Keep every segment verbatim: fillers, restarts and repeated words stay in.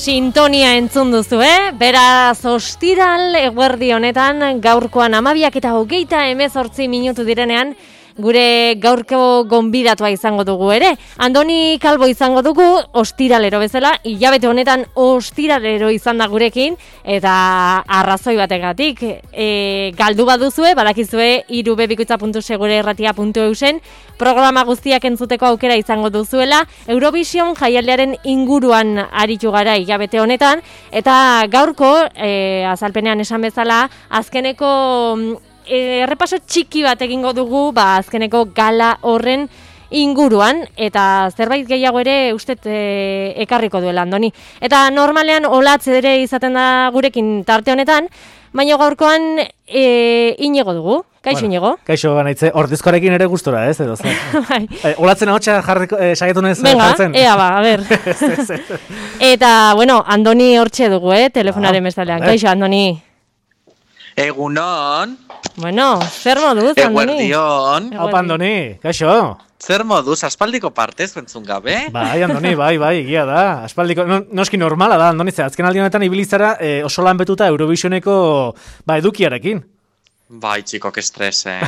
Sintonia entzun duzu, eh? Beraz, ostiral eguerdi honetan, gaurkoan amabiak eta hogeita hemezortzi minutu direnean, gure gaurko gonbidatua izango dugu ere. Andoni Calvo izango dugu, ostiralero bezala, hilabete honetan ostiralero izan da gurekin, eta arrazoi bategatik. E, galdu baduzue, badakizue, irubebikoitza puntu segure erratia puntu eusen, programa guztiak entzuteko aukera izango duzuela, Eurovision jaialdiaren inguruan aritu gara hilabete honetan, eta gaurko, e, azalpenean esan bezala, azkeneko errepaso txiki bat egingo dugu, ba, azkeneko gala horren inguruan, eta zerbait gehiago ere uste e, ekarriko duela, Andoni. Eta normalean olatz ere izaten da gurekin tarte honetan, baina gaurkoan e, Inigo dugu. Kaixo, bueno, Inigo? Kaixo, banaitze, ordezkoarekin ere gustora, ez? Edo, bai. E, olatzen ahotsa jarriko, e, saietu nez jartzen? Venga, ea ba, a ber. Eta, bueno, Andoni hortxe dugu, eh, telefonaren ah, bestalean. Kaixo, Andoni. Egunon. Bueno, zer moduz, Andoni? Eguerdion. Opa, Andoni, kaixo. Zer moduz, aspaldiko partez entzun gabe? Bai, Andoni, bai, bai, egia da. Aspaldiko, no, noski normala da, Andoni, ze azken aldi honetan ibilizara eh, oso lan betuta Eurovisioneko ba, edukiarekin. Bai, txikok estres, eh.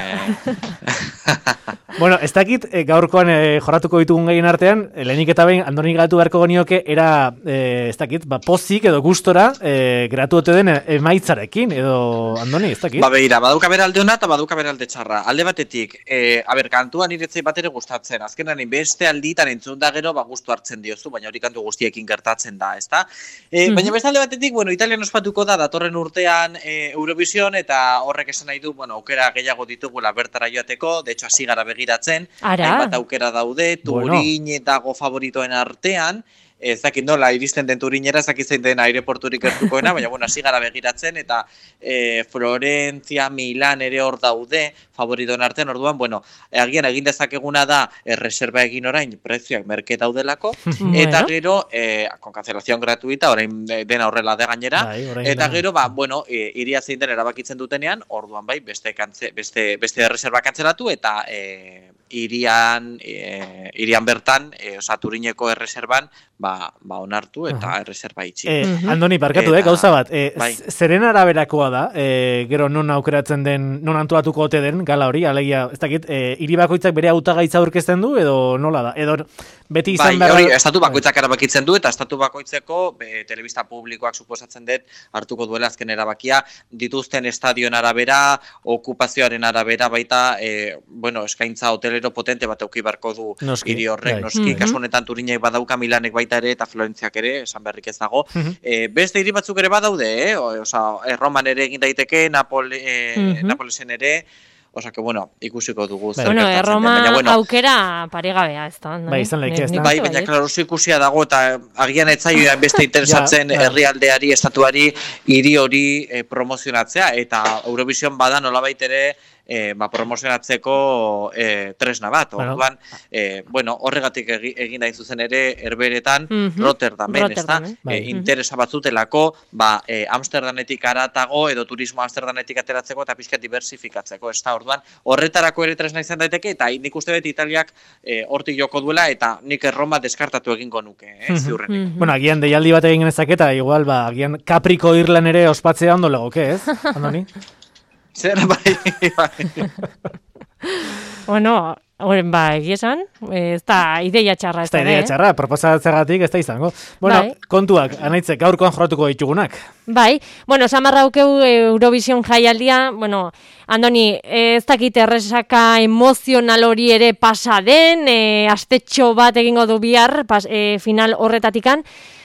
Bueno, ez dakit, e, gaurkoan e, jorratuko ditugun gehien artean, e, lehenik eta behin, Andoni gatu beharko genioke, era, e, ez dakit, ba, pozik edo gustora, e, geratu ote den emaitzarekin, edo, Andoni, ez dakit? Ba, behira, baduka bera alde hona eta baduka bera alde txarra. Alde batetik, e, aber, kantuan iretzei bat ere gustatzen, azkenan beste alditan entzun da gero, ba, gustu hartzen diozu, baina hori kantu guztiekin gertatzen da, ezta? E, mm-hmm. Baina beste alde batetik, bueno, Italian ospatuko da, datorren urtean e, Eurovision, eta horrek esan nahi du, bueno, aukera gehiago ditugula bertara joateko, de hecho, hasi gara begiratzen, hainbat aukera daude, Turin bueno. Dago favoritoen artean, ez dakit nola iristen den Turinera, ez dakit zein den aireporturik gertukoena, baina bueno, hasi gara begiratzen, eta e, Florentzia, Milan ere hor daude, favoritoen artean, orduan, bueno, agian egin dezakeguna da, erreserba egin orain, prezioak merke daudelako, eta gero, e, con cancelación gratuita, orain dena horrela de gainera, bai, eta gero, ba, bueno, e, iria zein den erabakitzen dutenean, orduan bai, beste, kantze, beste, beste erreserba kantzelatu, eta e, irian, e, irian bertan, e, oza, Turineko erreserban, ba, ba onartu eta uh-huh. erreserba itxi. Eh, Andoni, barkatu, eta, eh, gauza bat, eh, bai. Zeren araberakoa da, eh, gero non aukeratzen den, non antolatuko ote den, gala hori, alegia, ez dakit, eh, hiri bakoitzak bere hautagaitza aurkezten du, edo nola da, edo beti izan bai, behar... Hori, estatu bakoitzak erabakitzen du, eta estatu bakoitzeko, be, telebista publikoak suposatzen dut, hartuko duela azken erabakia, dituzten estadion arabera, okupazioaren arabera, baita, eh, bueno, eskaintza hotelero potente bat euki barko du hiri horrek, noski, mm-hmm. kasu honetan Turinek badauka, Milanek baita ere, eta Florentziak ere, esan berrik ez dago. Mm-hmm. E, beste hiri batzuk ere badaude, eh? O, oza, Roman ere egin daiteke, Napole, eh, mm-hmm. Napolesen ere, oza, que bueno, ikusiko dugu. Bai. Bueno, Roma bueno, aukera paregabea, ez da. Bai, izan laike, ez da. Bai, baina, klaro, oso ikusia dago, eta agian etzaioan beste interesatzen ja, herrialdeari, estatuari, hiri hori eh, promozionatzea, eta Eurovision bada nolabait ere, E, ba, promozionatzeko e, tresna bat, bueno. Orduan, e, bueno, horregatik egin da zuzen ere herberetan, mm-hmm. Rotterdamen, Rotterdam, ez da, bai. e, interesa batzutelako, ba, e, Amsterdanetik aratago, edo turismo Amsterdanetik ateratzeko, eta pixka diversifikatzeko, ez da, orduan, horretarako ere tresna izan daiteke, eta nik uste dut Italiak e, hortik joko duela, eta nik Roma deskartatu egingo nuke, eh, mm-hmm. ziurrenik. Mm-hmm. Bueno, agian deialdi bat egin genezaketa, igual, ba, agian Capriko Irlan ere ospatzea ondo legoke, ez, Andoni? Zer, bai, bai. Bueno, horren ba, egiesan, ez da ideia txarra. Ez da ideia txarra, proposatzegatik ez da izango. Bueno, bai. Kontuak, anaitzek, gaurkoan jorratuko ditugunak. Bai, bueno, samarra aukeu Eurovision jaialdia, bueno, Andoni, ez dakit erresaka emozional hori ere pasa den, e, astetxo bat egingo du bihar, pas, e, final horretatikan,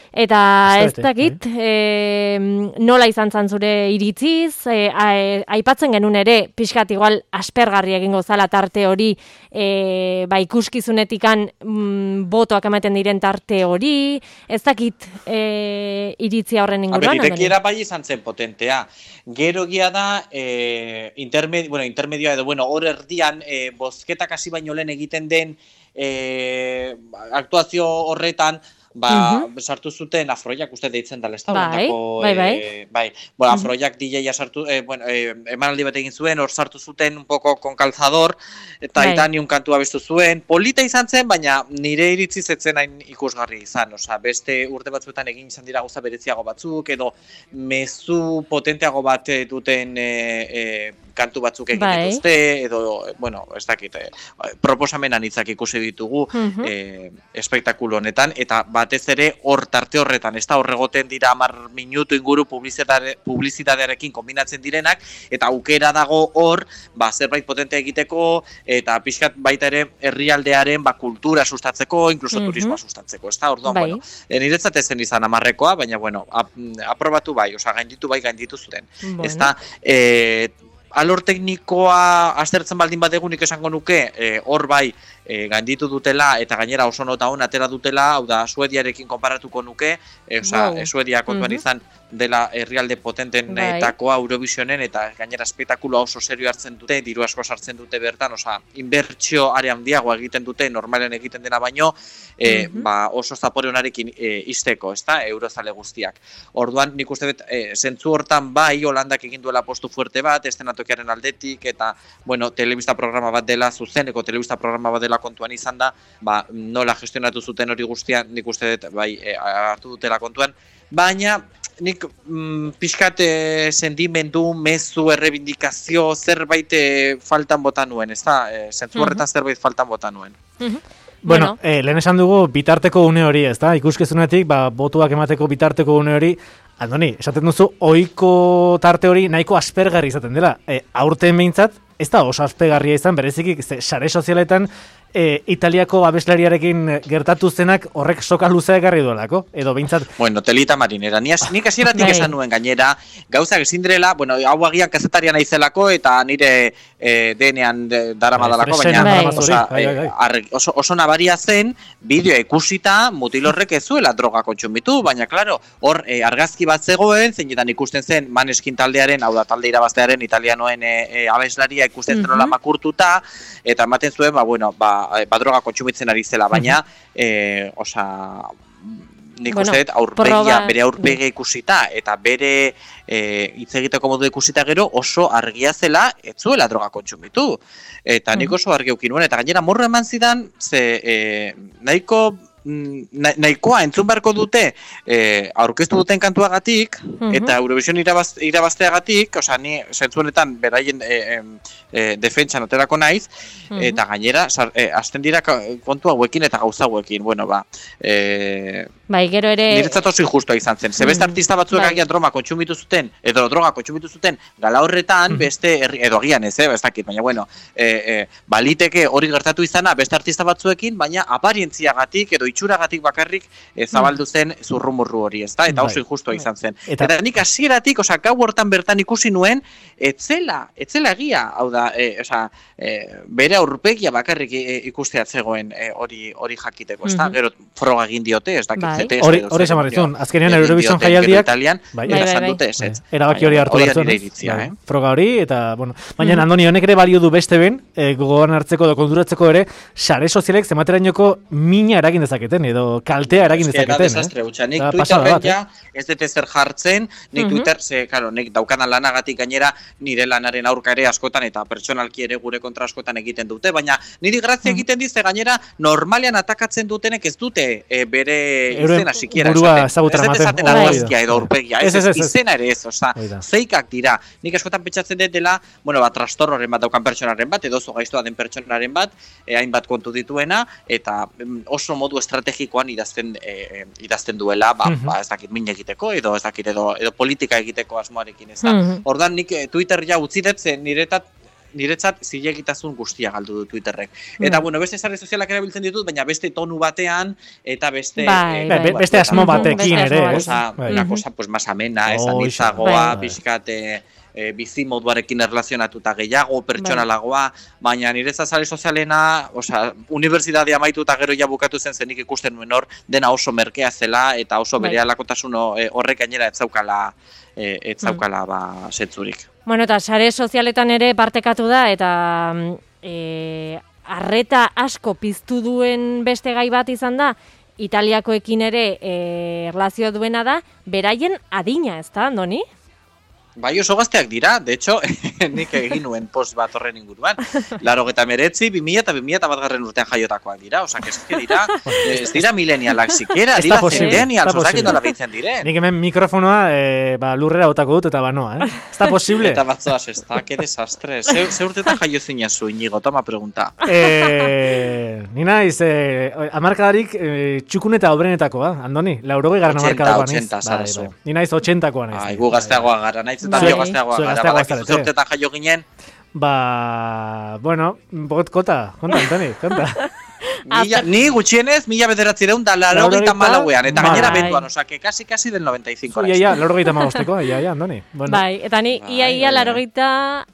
eta ez dakit, e, nola izan zan zure iritziz, e, aipatzen genuen ere, pixkat igual aspergarri egingo zala tarte hori, e, ba ikuskizunetikan mm, botoak ematen diren tarte hori, ez dakit e, iritzia horren inguruan. Aber, irekiera bai izan zen potentea. Gero gia da, e, intermedio, bueno, intermedioa edo, bueno, hor erdian, e, bozketak hasi baino lehen egiten den, e, aktuazio horretan, ba, Mhm. sartu zuten afroiak uste deitzen dela, ez da? Bai, Hollandako, bai, bai. eh, bai. Bueno, afroiak D J-a sartu, eh, bueno, eh, emanaldi bat egin zuen, hor sartu zuten un poco con calzador, eta Bai. Aitani un kantua bestu zuen. Polita izan zen, baina nire iritziz etzen hain ikusgarri izan. Osea, beste urte batzuetan egin izan dira gauza bereziago batzuk, edo mezu potenteago bat eh, duten eh, eh, kantu batzuk egin Bai. dituzte, edo, bueno, ez dakit, eh, proposamen anitzak ikusi ditugu Mhm. eh, espektakulu honetan, eta batez ere hor tarte horretan, ez da horregoten dira hamar minutu inguru publizitate, publizitatearekin kombinatzen direnak, eta aukera dago hor, ba, zerbait potente egiteko, eta pixkat baita ere herrialdearen ba, kultura sustatzeko, inkluso Mhm. turismoa sustatzeko, ez da, orduan, Bai. bueno, e, niretzat ezen izan amarrekoa, baina, bueno, ap, aprobatu bai, osea, gainditu bai, gainditu zuten. Bueno. Ez da, e, alor teknikoa aztertzen baldin badegun nik esango nuke, e, hor bai, e, gainditu dutela, eta gainera oso nota hon atera dutela, hau da, Suediarekin konparatuko nuke, e, osea, Wow. Suedia kontuan Mhm. izan dela herrialde potentenetakoa Eurovisionen, eta gainera espektakuloa oso serio hartzen dute, diru asko sartzen dute bertan, osea, inbertsio are handiagoa egiten dute, normalen egiten dena baino, e, Mhm. ba, oso zapore honarekin e, izteko, ezta, eurozale guztiak. Orduan, nik uste dut, e, zentzu hortan bai, Holandak egin duela postu fuerte bat, estenatokiaren aldetik, eta, bueno, telebista programa bat dela, zuzeneko telebista programa bat dela kontuan izan da, ba, nola gestionatu zuten hori guztian, nik uste dut, bai, e, hartu dutela kontuan, baina, nik mm, pixkat e, sentimendu, mezu, errebindikazio, zerbait e, faltan bota nuen, ez da? E, zentzu horretan zerbait faltan bota nuen. Mhm. Bueno, eh, lehen esan dugu bitarteko une hori, ez da? Ikuskezunetik, ba, botuak emateko bitarteko une hori, Andoni, esaten duzu, ohiko tarte hori nahiko aspergarri izaten dela. E, aurten behintzat, ez da oso aspergarria izan, bereziki, ze, sare sozialetan, e, Italiako abeslariarekin gertatu zenak horrek soka luzea ekarri duelako, edo behintzat... Bueno, telita marinera. Ni nik hasieratik Bai. esan nuen gainera, gauzak ezin direla, bueno, hau agian kazetaria naizelako eta nire eh, denean de, daramadalako, Bai, baina Bai. osea, Bai, bai, bai. eh, argi- oso, oso nabaria zen, bideo ikusita mutil horrek ez zuela droga kontsumitu, baina claro, hor eh, argazki bat zegoen, zeinetan ikusten zen Maneskin taldearen, hau da talde irabaztearen italianoen e, e, abeslaria ikusten zen Mhm. makurtuta, eta ematen zuen, ba, bueno, ba, ba droga kontsumitzen ari zela, baina, eh, osea, nik Bueno, uste dut aurpegia, proba- bere aurpegia ikusita, eta bere eh, hitz egiteko modu ikusita gero oso argia zela, ez zuela droga kontsumitu. Eta nik oso argi eukin nuen, eta gainera morro eman zidan, ze eh, nahiko Na, nahikoa entzun beharko dute eh, aurkeztu duten kantuagatik Mhm. eta Eurovision irabaz, irabazteagatik, osea, ni zentzu honetan beraien eh, eh, defentsan oterako naiz, Mhm. eta gainera sar, eh, hasten dira ka- kontu hauekin eta gauza hauekin, bueno, ba, eh, Bai, gero ere... niretzat oso injustua izan zen. Ze beste Mm, artista batzuek bai. agian droga kontsumitu zuten, edo droga kontsumitu zuten gala horretan, beste, herri, edo agian ez, eh, ez dakit, baina bueno, eh, eh, baliteke hori gertatu izana beste artista batzuekin, baina aparientziagatik edo itxuragatik bakarrik eh, zabaldu zen zurrumurru hori, ezta? Eta Bai. oso injustua izan zen. Eta- Eta, nik hasieratik, osea, gau hortan bertan ikusi nuen, etzela, etzela egia, hau da, eh, osea, eh, bere aurpegia bakarrik eh, ikustea zegoen eh, hori hori jakiteko, ezta? Mhm. Gero froga egin diote, ez dakit Bai. Z T S Hori- edo hori zer esan behar dio. dizun, azkenean Egin Eurovision diote, gero jaialdiak- Italian, Bai, eta bai, esan bai. dute ezetz. Bai, erabaki hori Baina, hartu hori da behar nire zuen, iritzia, bai, eh? froga hori, eta, bueno, baina Andoni, honek ere balio du beste ben, e, gogoan hartzeko edo konturatzeko ere, sare sozialek zematerainoko mina eragin dezaketen, edo kaltea eragin Eske, da dezaketen, desastre hutsa. Nik Da pasada Twitterren bat, eh? ja ez dut ezer jartzen, nik Mhm. Twitter, ze, karo, nik daukanan lanagatik gainera nire lanaren aurka ere askotan eta pertsonalki ere gure kontra askotan egiten dute, baina niri grazia egiten dize gainera normalean atakatzen dutenek ez dute e, bere Euren izena sikiera burua esaten. ezagutara Ez dut ematen. esaten Hori da. argazkia edo aurpegia, ez, Ez, ez, ez, ez, ez. izena ere ez, osea, Hori da. feikak dira. Nik askotan pentsatzen dut dela, bueno, ba, trastorroren bat daukan pertsonaren bat, edo zo gaiztoa den pertsonaren bat, e, hainbat kontu dituena, eta mm, oso modu estrategikoan idazten, e, idazten duela, ba, Mhm. ba, ez dakit min egiteko, edo ez dakit, edo, edo politika egiteko asmoarekin, ez da. Mhm. Ordan nik eh, Twitter ja utzi dut, ze niretat niretzat zilegitasun guztia galdu du Twitterrek. Eta, Mm. bueno, beste sare sozialak erabiltzen ditut, baina beste tonu batean, eta beste... Bai, eh, bai. Be- beste asmo Mhm, batekin beste ere, asmo ez? Cosa, Bai. una Mhm. cosa pues más amena, ez, Hoxe. anitzagoa, Bai. pixkat, eh, e, bizi moduarekin erlazionatuta gehiago, pertsonalagoa, baina niretzat sare sozialena, osea, unibertsitatea amaitu eta gero ja bukatu zen zenik ikusten nuen hor, dena oso merkea zela, eta oso Bai. bere alakotasun eh, horrek gainera ez zaukala, eh, ez zaukala ba, setzurik. Bueno, eta sare sozialetan ere partekatu da, eta mm, e, arreta asko piztu duen beste gai bat izan da, Italiakoekin ere e, erlazio duena da, beraien adina, ez da, Andoni? Bai, oso gazteak dira, de hecho, nik egin nuen post bat horren inguruan. Laro geta meretzi, bi mila eta bi mila eta bat garren urtean jaiotakoak dira, osak ez dira, ez dira milenialak zikera, dira centenials, osak inola behitzen diren. Nik hemen mikrofonoa e, ba, lurrera botako dut eta banoa, eh? Ez da posible? Eta batzoaz ez da, que desastre. Ze, ze urtetan jaio zinezu, Inigo, toma pregunta. E, ni naiz, e, amarkadarik e, txukun eta obrenetakoa, Andoni, laurogei garran amarkadakoa naiz. ochenta, ochenta, Ni naiz ochentakoa naiz. Ai, gu gazteagoa gara, naiz eta bio gazteagoa gara, badakizu ze urtetan jaio ginen. Ba, bueno, bot kota, konta, Antoni, konta. Mila, ni gutxienez, mila bederatzireun da laurogeita malauean, eta gainera benduan, osake, kasi, kasi del noventa y cinco. Ia, ia, laurogeita magosteko, ia, ia, Andoni. Bueno. Bai, eta ni, ia, ia, laurogeita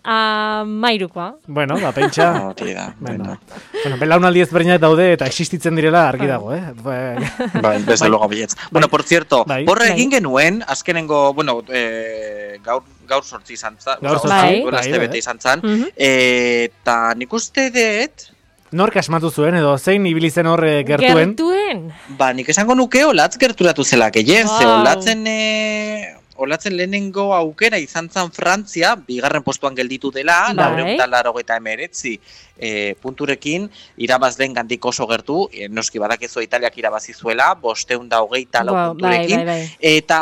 mairukoa. Bueno, ba, pentsa. No, tira, bueno. Bueno, belaunaldi ezberdinak daude eta existitzen direla argi dago, eh? Bai, desde luego billetz. Bueno, por cierto, horre egin genuen, azkenengo, bueno, eh, gaur, gaur sortzi izan zan, gaur sortzi, bai, bete izan zan, eta nik uste dut, nork asmatu zuen edo zein ibili zen hor gertuen? Gertuen? Ba, nik esango nuke olatz gerturatu zela gehiago, wow. Ze olatzen, e, olatzen lehenengo aukera izan zan Frantzia, bigarren postuan gelditu dela, laureun eta laurogeita emeretzi e, punturekin, irabaz den gandik oso gertu, e, noski badakizu Italiak irabazi zuela, bosteun da hogeita lau wow, punturekin, bai, bai, bai. Eta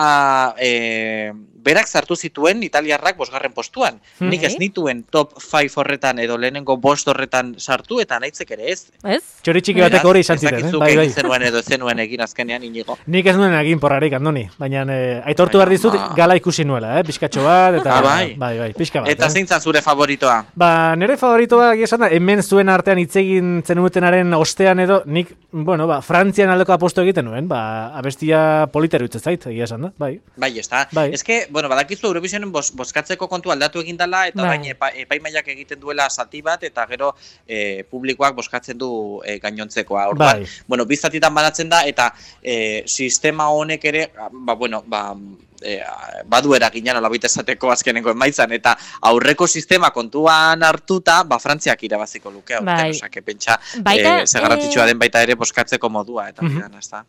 e, berak sartu zituen italiarrak bosgarren postuan. Hmm. Nik ez nituen top five horretan edo lehenengo bost horretan sartu eta naitzek ere ez. Ez? Txori txiki batek hori izan ziren, eh? Bai, bai. Zenuen edo zenuen egin azkenean, Inigo. Nik ez nuen egin porrarik, Andoni, baina eh, aitortu behar dizut gala ikusi nuela, eh? Pixkatxo bat, eta... Ah, bai. Bai, bai, pixka bat. Eta zein zan zure favoritoa? Ba, nire favoritoa, esan da, hemen zuen artean hitz egin zenutenaren ostean edo, nik, bueno, ba, Frantzian aldeko aposto egiten nuen, ba, abestia politeru itzez zait, egia esan da, bai. Bai, ez da. Bai. Ez que, bueno, badakizu Eurovisionen bos, boskatzeko kontu aldatu egin dela, eta bai. Baina epa, epaimaiak egiten duela zati bat, eta gero e, publikoak boskatzen du e, gainontzekoa. Orduan, bai. Bueno, biztatitan banatzen da, eta e, sistema honek ere, ba, bueno, ba, e, badu eraginan olabite esateko azkenengo emaitzan, eta aurreko sistema kontuan hartuta, ba, Frantziak irabaziko luke, bai. Osake, pentsa, baita, e, zegarratitxua den baita ere boskatzeko modua, eta mm-hmm. bidan, ez da.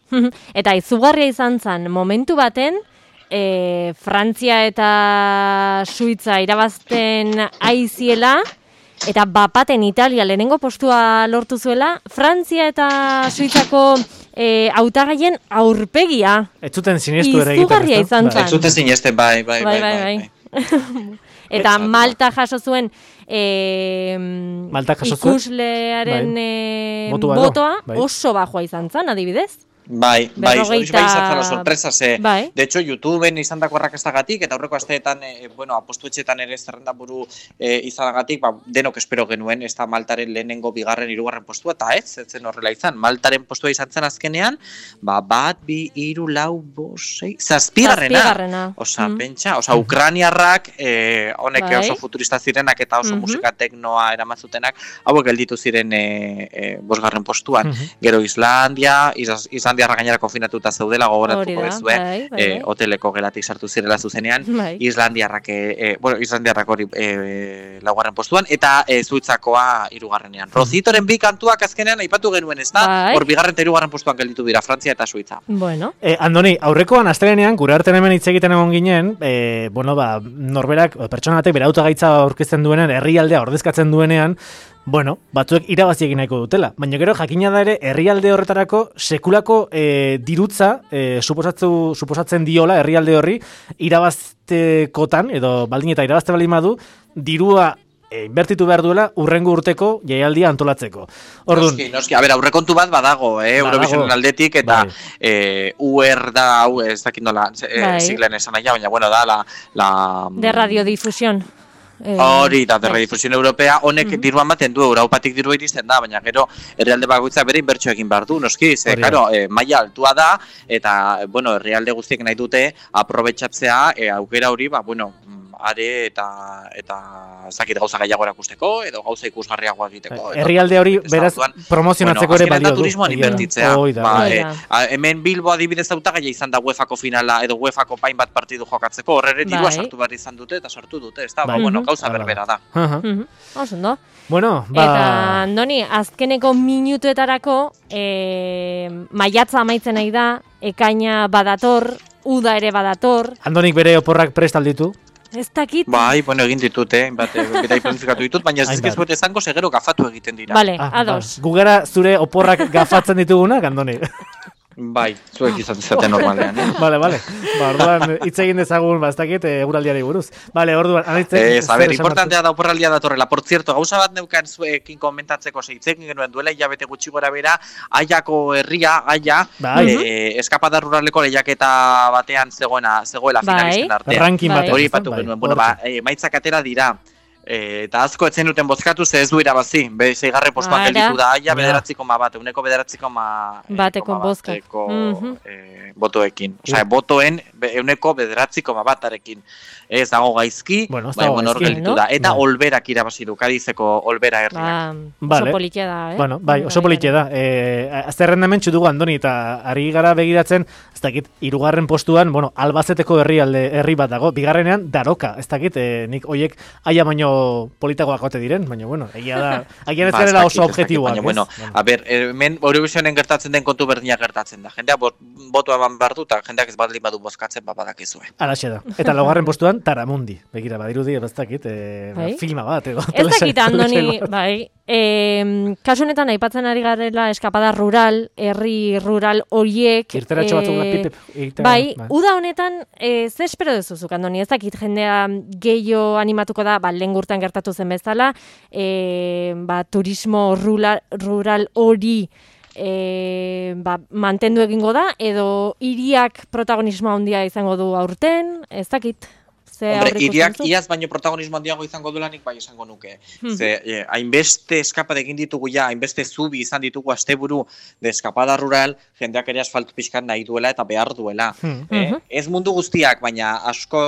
Eta izugarria izan zen, momentu baten, E, Frantzia eta Suitza irabazten aiziela, eta bapaten Italia lehenengo postua lortu zuela, Frantzia eta Suitzako e, hautagaien aurpegia. Ez zuten sinestu ere egiten. Izugarria izan zen. Ez zuten sinesten, bai, bai, bai. bai, bai, bai. Eta Malta jaso zuen e, ikuslearen bai. e, botoa bai. Oso bajoa izan zen, adibidez. Bai, bai, hori bai izan zala sorpresa, ze, bai. De hecho, YouTubeen izan dako errakastagatik, eta aurreko asteetan, e, bueno, apostu etxetan ere zerrenda buru e, izanagatik, ba, denok espero genuen, ez da Maltaren lehenengo, bigarren, hirugarren postua, eta ez, ez zen horrela izan. Maltaren postua izan zen azkenean, ba, bat, bi, hiru, lau, bosei, zazpigarrena. Osa, mm. pentsa, osa, Ukraniarrak, e, honek bai. Oso futurista zirenak, eta oso mm-hmm. musika teknoa eramazutenak, hauek gelditu ziren e, e, bosgarren postuan. Mm-hmm. Gero Islandia, Islandia, Islandiarra gainera konfinatuta zeudela gogoratuko dezue, bai, bai, bai. E, hoteleko gelatik sartu zirela zuzenean, bai. Islandiarrak, e, bueno, Islandiarrak hori e, laugarren postuan, eta e, Zuitzakoa hirugarrenean. Rozitoren bi kantuak azkenean aipatu genuen, ez da? Bai. Hor bigarren eta hirugarren postuan gelditu dira, Frantzia eta Suitza. Bueno. E, Andoni, aurrekoan astelenean, gure artean hemen hitz egiten egon ginen, e, bueno, ba, norberak, pertsona batek bere autogaitza aurkezten duenean, herrialdea ordezkatzen duenean, bueno, batzuek irabazi egin nahiko dutela. Baina gero jakina da ere herrialde horretarako sekulako e, dirutza e, suposatzu, suposatzen diola herrialde horri irabaztekotan, edo baldin eta irabazte baldin badu, dirua e, inbertitu behar duela urrengo urteko jaialdia antolatzeko. Ordun, noski, noski. A ber, aurrekontu bat badago, eh, Eurovisionen aldetik, eta bai. e, U R da, hau, ez dakit nola, e, siglen esan aia, baina, bueno, da, la... la de radiodifusión. Hori, da, de radiodifusión europea, honek mm-hmm. diruan baten du, Europatik dirua iristen da, baina gero herrialde bakoitza bere inbertsio egin behar du, noski, ze, karo, e, maila altua da, eta, bueno, herrialde guztiek nahi dute aprobetxatzea, e, aukera hori, ba, bueno, are eta eta zakit gauza gehiago erakusteko edo gauza ikusgarriago egiteko. Herrialde hori beraz promozionatzeko bueno, ere balio du. Turismoan inbertitzea. Oida, ba, oida. E, hemen Bilbo adibidez hautagaia izan da UEFako finala edo UEFako pain bat partidu jokatzeko, horre dirua sartu behar izan dute eta sartu dute, ez da, ba, bueno, gauza berbera da. Oso, no? Bueno, ba... Eta, Andoni, azkeneko minutuetarako e, maiatza amaitzen nahi da, ekaina badator, uda ere badator. Andonik bere oporrak prest alditu? Ez dakit. Bai, bueno, egin ditut, eh? Bat, bera planifikatu ditut, baina ez ezkezbet esango segero gafatu egiten dira. Vale, ah, ados. Ba. Gugara zure oporrak gafatzen ditugunak, Andoni? Bai, zuek izaten normalean, eh? Vale, vale. Ba, orduan, hitz egin dezagun, ba, ez dakit, eguraldiari buruz. Vale, orduan, anitzen... Ez, a ber, importantea da oporraldia datorrela. Por cierto, gauza bat neukan zuekin komentatzeko zeitzekin genuen duela, hilabete gutxi gora bera, Aiako herria, Aia, bai. eh, eskapada ruraleko lehiaketa batean zegoena, zegoela bai. finalisten artean. Ranking bai. batean. Hori patu genuen, bueno, ba, eh, maitzak atera dira. E, eta asko etzen duten bozkatu ze ez du irabazi. Be, zeigarre postuan gelditu da Aia bederatzi koma bat, uneko bederatzi koma bateko bozka. Mm-hmm. e, botoekin. Osea, botoen euneko bederatzi koma batarekin. Ez dago gaizki, bueno, bai, bueno, hor gelditu no? da. Eta Bai. Olberak irabazi du, Kadizeko Olbera herriak. Ba, oso politia da, eh? Bueno, bai, oso politia da. E, azterrendamentu dugu, Andoni, eta ari gara begiratzen, ez dakit, hirugarren postuan, bueno, Albazeteko herrialde herri bat dago, bigarrenean Daroka, ez dakit, e, nik hoiek Aia baino politagoak ote diren, baina bueno, egia da, agian ez garela oso objektiboak, baina, bueno, a ber, hemen Eurovisionen gertatzen den kontu berdina gertatzen da. Jendea botoa eman behar du, eta jendeak ez baldin badu bozkatzen, ba, badakizue. Alaxe da. Eta laugarren postuan, Taramundi. Begira, badirudi, ez dakit, e, bai? filma bat, edo. Ez dakit, Andoni, bai, e, kasu honetan aipatzen ari garela eskapada rural, herri rural horiek. Irteratxo batzuk da, e, pip, pip, bai, bai, uda honetan, e, ze espero dezuzuk, Andoni, ez dakit, jendea gehiago animatuko da, ba, lehen gurtan gertatu zen bezala, e, ba, turismo rural, rural hori e, ba, mantendu egingo da, edo hiriak protagonismo handia izango du aurten, ez dakit. Hombre, iriak iaz baino protagonismo handiago izango duelanik bai esango nuke. Hmm. Ze, eh, hainbeste eskapade egin ditugu ja, hainbeste zubi izan ditugu asteburu de eskapada rural, jendeak ere asfaltu pixkan nahi duela eta behar duela. Hmm. Eh, uh-huh. Ez mundu guztiak, baina asko,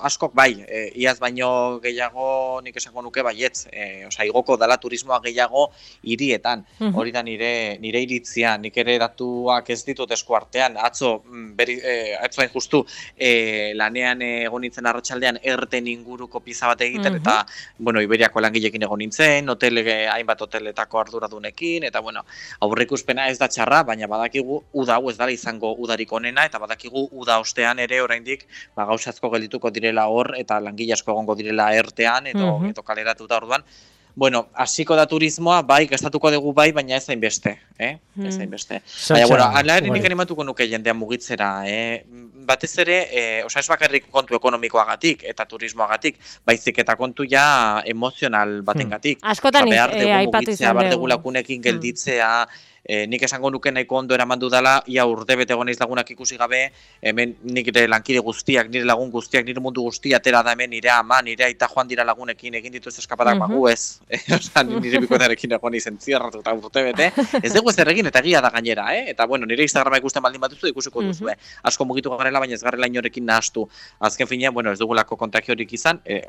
askok bai, eh, iaz baino gehiago nik esango nuke baietz. Eh, Osa, igoko dala turismoa gehiago hirietan. Uh-huh. Hori da nire, nire iritzia, nik ere datuak ez ditut esku artean. Atzo, beri, eh, atzo hain justu, eh, lanean egon nintzen arratsaldean txaldean erten inguruko pizza bat egiten, uh-huh. eta, bueno, Iberiako langilekin egon nintzen, hotel, hainbat hoteletako arduradunekin, eta, bueno, aurreikuspena ez da txarra, baina badakigu uda hau ez dara izango udarik onena, eta badakigu uda ostean ere oraindik ba, gauza asko geldituko direla hor, eta langile asko egongo direla ertean, edo, uh-huh. edo kaleratuta orduan. Bueno, hasiko da turismoa, bai, gastatuko dugu bai, baina ez hainbeste, eh? Ez hainbeste. Hmm. Baina, bueno, ala ere nik animatuko nuke jendean mugitzera, eh? Batez ere, eh, osa ez bakarrik kontu ekonomikoagatik eta turismoagatik, baizik eta kontu ja emozional batengatik. Hmm. Askotan ba, eh, aipatu izan dugu. Behar dugu lakunekin gelditzea, E, nik esango nuke nahiko ondo eraman dudala, ia urdebete goneiz lagunak ikusi gabe, hemen nire lankide guztiak, nire lagun guztiak, nire mundu guztia atera da hemen, nire ama, nire aita joan dira lagunekin egin dituz eskapadak, uh-huh. bagu ez. Osa, nire bikotarekin egon izen zierratu eta urtebete. Ez dugu ez erregin eta egia da gainera, eh? Eta bueno, nire Instagrama ikusten baldin batuzu ikusiko duzu, eh? Asko mugitu garela, baina ez garela inorekin nahastu. Azken finean, bueno, ez dugulako kontagiorik izan, e,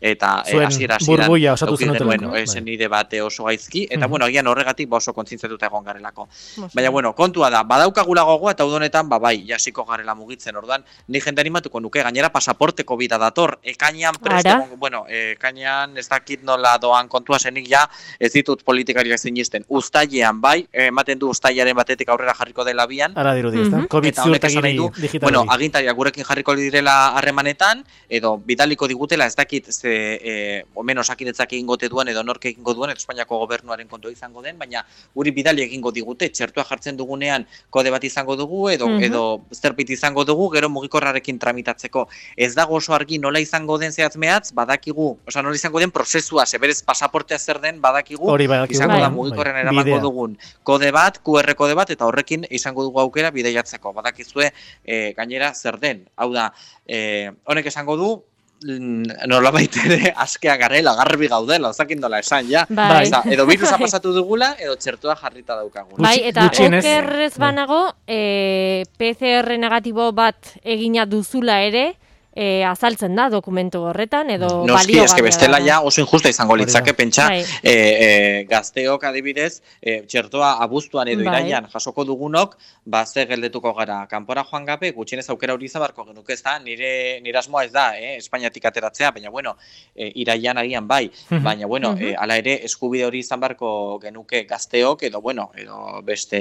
eta hasiera e, hasieran burbuia osatu zenuten. Bueno, esen nire bate oso gaizki, eta uh-huh. bueno, agian horregatik ba oso kontzientziatuta egon gara. Baina, bueno, kontua da, badaukagula gogoa eta udonetan, ba, bai, jasiko garela mugitzen, orduan, ni jende animatuko nuke, gainera pasaporteko bida dator, ekainean preste, bueno, ekainean ez dakit nola doan kontua zenik ja, ez ditut politikariak zinisten, uztailean, bai, ematen du uztailaren batetik aurrera jarriko dela bian. Ara dirudi, ez da? COVID ziurtagiri digital. Bueno, agintariak gurekin jarriko direla harremanetan, edo bidaliko digutela, ez dakit, ze, e, omen osakinetzak egingote duen, edo nork egingo duen, eta Espainiako gobernuaren kontua izango den, baina guri bidali egingo digute, txertua jartzen dugunean kode bat izango dugu edo uh-huh. edo zerbait izango dugu gero mugikorrarekin tramitatzeko. Ez dago oso argi nola izango den zehatz mehatz, badakigu, osea nola izango den prozesua, ze berez pasaportea zer den badakigu, badakigu izango bai, da mugikorren bai, eramango dugun kode bat, Q R kode bat eta horrekin izango dugu aukera bidaiatzeko. Badakizue e, gainera zer den. Hau da, e, honek esango du nolabait ere askea garela, garbi gaudela, ozakin dola esan, ja. Bai. Eza, edo virusa pasatu dugula, edo txertua jarrita daukagun. Bai, eta okerrez banago, e, P C R negatibo bat egina duzula ere, e, azaltzen da dokumentu horretan, edo Noski, baliogarria eske bestela da. ja oso injusta izango litzake, pentsa, Bai. e, e, gazteok adibidez, e, txertoa abuztuan edo Bai. iraian jasoko dugunok, ba, ze geldetuko gara, kanpora joan gabe, gutxienez aukera hori izan barko genuke, ez da, nire, nire asmoa ez da, eh, Espainiatik ateratzea, baina bueno, e, iraian agian bai, baina bueno, e, ala ere, eskubide hori izan barko genuke gazteok, edo bueno, edo beste,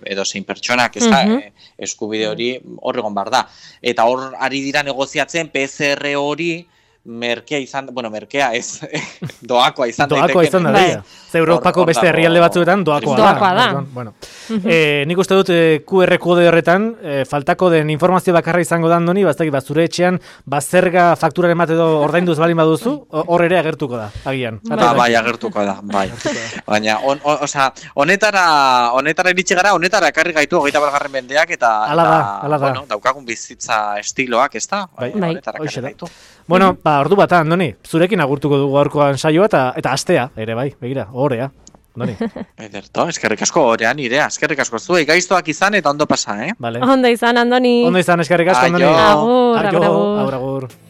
edo zein pertsonak, ez da, e, eskubide hori hor egon bar da. Eta hor ari dira negoziatzen P C R hori merkea izan, bueno, merkea ez, doakoa izan Doakoa izan da, bai. dira. Ze Europako beste herrialde batzuetan doakoa da. Doakoa da. Orduan, bueno. eh, nik uste dut eh, Q R kode horretan, eh, faltako den informazio bakarra izango da Andoni, baztaki, ba, zure etxean, bazerga fakturaren bat edo ordainduz balin baduzu, hor ere agertuko da, agian. Ba, bai, agertuko da, bai. Baina, on, on, osea, honetara, honetara iritsi gara, honetara ekarri gaitu hogeita bat mendeak, eta, Ala da, eta ala da. bueno, daukagun bizitza estiloak, ez da? Bai. Honetara Hoxe ekarri da. gaitu. Bueno, ba, ordu bat, Andoni, zurekin agurtuko dugu gaurkoan saioa eta eta astea, ere bai, begira, ohorea. Andoni. Ederto, eskerrik asko orean irea, eskerrik asko zuei, gaiztoak izan eta ondo pasa, eh? Vale. Ondo izan, Andoni. Ondo izan, eskerrik asko, Andoni. Aio. Agur, Aio, agur, agur. agur, agur.